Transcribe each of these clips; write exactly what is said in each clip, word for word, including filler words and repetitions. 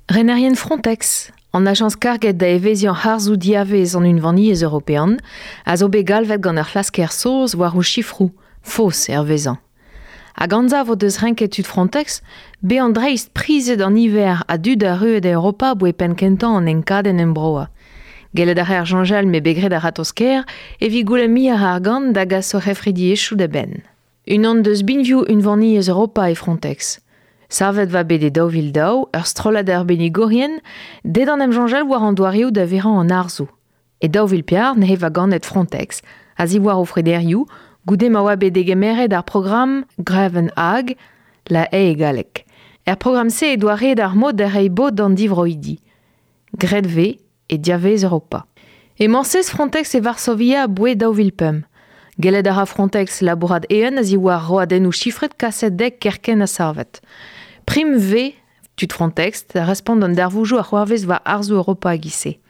Renerien Frontex, an ajañs karget da evezhiañ harzoù diavez an Unvaniezh European, a zo bet galvet gant ur c'hlasker saoz war o sifroù, faos hervezañ. Hag anzav o deus renket tud Frontex, bezañ dreist prizet an niver a dud arruet e Europa boe penn kentañ an enkadenn embroa. Gellet a reer soñjal me bet graet a-ratozh-kaer evit goulenn muioc'h a argant da gas o c'hefridiezhioù da benn. Unan deus binvioù Unvaniezh Europa e Frontex. Savet va bet e daou vil daou, ur strollad arbennigourien, deet an em soñjal war an doareoù da verañ an harzoù. E daou vil pevar neuze va ganet Frontex, a-ziwar o frederioù, goude ma oa bet degemeret ar programm Greven Hag, la haie e galleg. Er programm-se e doareet ar mod da reiñ bod d'an divroidi. Graet vez e diavez Europa. Emañ sez Frontex e Varsovia aboae daou vil pemp. Gellet a ra Frontex labourat eeun a-ziwar roadennoù chifret kaset dek kerkent ha savet. Prim vez tud Frontex da respont d'an darvoudoù a c'hoarvez war harzoù Europa e-giz-se.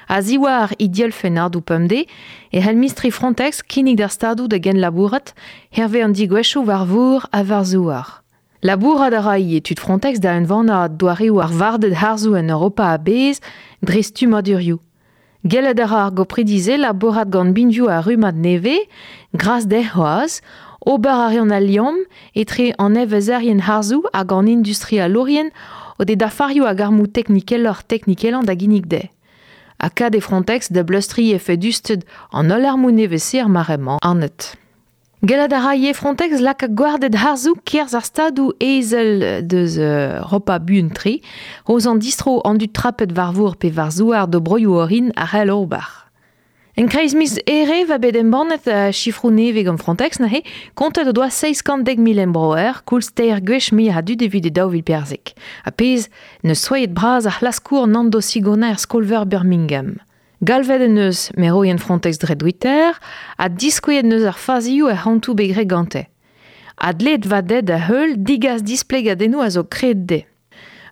A-ziwar he dielfennadoù pemdez e c'hell mistri Frontex kinnig d'ar stadoù da genlabourat hervez an degouezhioù war vor ha war zouar. Labourat a ra ivez tud Frontex da unvanañ doareoù ar warded harzoù en Europa a-bezh dre stummadurioù. Gellet a ra ar gopridi-se labourat gant binvioù ar rummad nevez, gras dezhe c'hoazh, ober a reont al liamm etre an evezherien harzoù hag an industrialourien o de dafarioù hag armoù teknikeloc'h teknikelañ da ginnig dezhe. Ha kad e Frontex da bleustriñ efedusted an holl armoù nevez-se er mare-mañ anat. Gellet a ra ivez Frontex lakaat gwarded harzoù kerzh ar stadoù ezel deus Europa buan-tre, roz an distro an dud trapet war vor pe war zouar d'o broioù orin a c'hell ober. En kreiz miz Here va bet embannet uh, sifroù nevez gant Frontex neuze, kontet o doa seizh kant dek mil embroer, koulz teir gwech muioc'h a dud evit e daou vil perzek. Ha pezh neus soaet bras ar c'hlaskour Nando Sigona er skol-veur Birmingham. Galvet en eus meroien Frontex dre Twitter ha diskouezet neus ar fazioù er c'hantoù bet graet gante. Ha dleet va ded da heul digas displegadennoù a zo kred dezhe.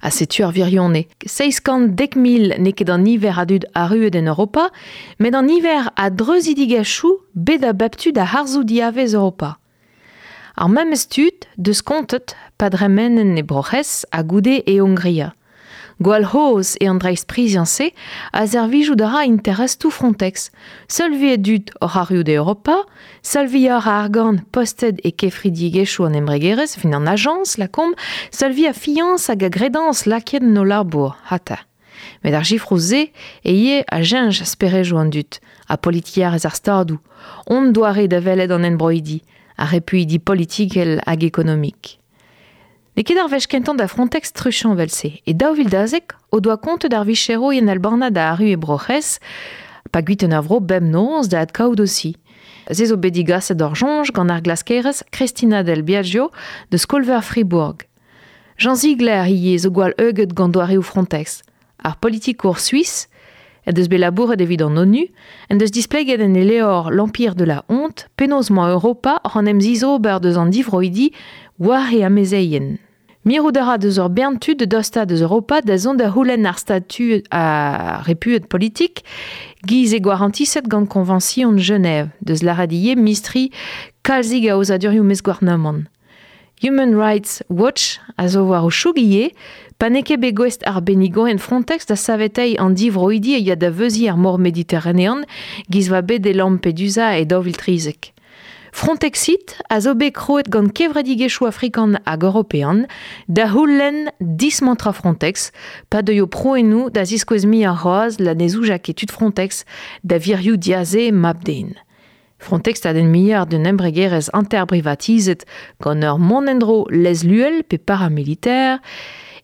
Ha setu ar wirionez. Seizh kant dek mil n'eo ket an niver a dud arruet en Europa, met an niver a dreuzidigezhioù bet a bep tu da harzoù diavez Europa. Ar memes tud deus kontet pa dremenen e Bro-C'hres ha goude e Hongria. Gwall c'hozh eo an dreistpriziañ-se a servijout a ra interestoù Frontex. Seul vui a dud oc'h arruout e Europa, seul vuioc'h a argant postet e kefridigezhioù an embregerezh, fin an ajañs, lakaomp, seul vui a fiañs hag a gredañs lakaet en o labour, hata. Met ar sifroù-se e ivez a cheñch sperejoù an dud, ha politikerezh ar stadoù, hon doare da welet an enbroidi, ar repuidi politikel hag ekonomik. N'eo ket ar wech kentañ da Frontex truchañ evel-se. E daou vil dazek o doa kontet ar vicherourien albanat da arru e Bro-C'hres, pa guiten ar vro bemnoz da adkaout aussi. Se zo bet digaset d'ur soñj gant ar glaskerez Christina Del Biagio de skol-veur Fribourg. Jean Ziegler ivez zo gwall heuget gant doareoù Frontex. Ar politikour suisse, en deus bet labouret evit an ONU, en deus displeget en e levr L'Empire de la honte, penaos 'mañ Europa oc'h en em zizober deus an divroidi war e amezeien. Mirout a ra deus ur bern tud de dostañ deus Europa da zont da c'houlenn ar statud a repuet politik giz e gwarantiset gant Konvañsion Genève deus lâret ivez mistri kalzik a aozadurioù maez-gouarnamant. Human Rights Watch a zo war o choug ivez, pa n'eo ket bet gouest arbennigourien Frontex da saveteiñ an divroidi a ya da veuziñ er mor Mediterranean giz va bet e Lampedusa e daou vil trizek. Frontexit a zo bet krouet gant kevredigezhioù afrikan hag european da c'houlenn dismantrañ Frontex, pa deuio prouennoù da ziskouez muioc'h c'hoazh la ne zouja ket tud Frontex da wirioù diaze mab-den. Frontex a den muioc'h d'un embregerezh hanter-brivatizet gant ur mont en-dro lezluel pe paramilitaire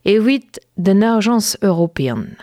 evit d'un ajañs european.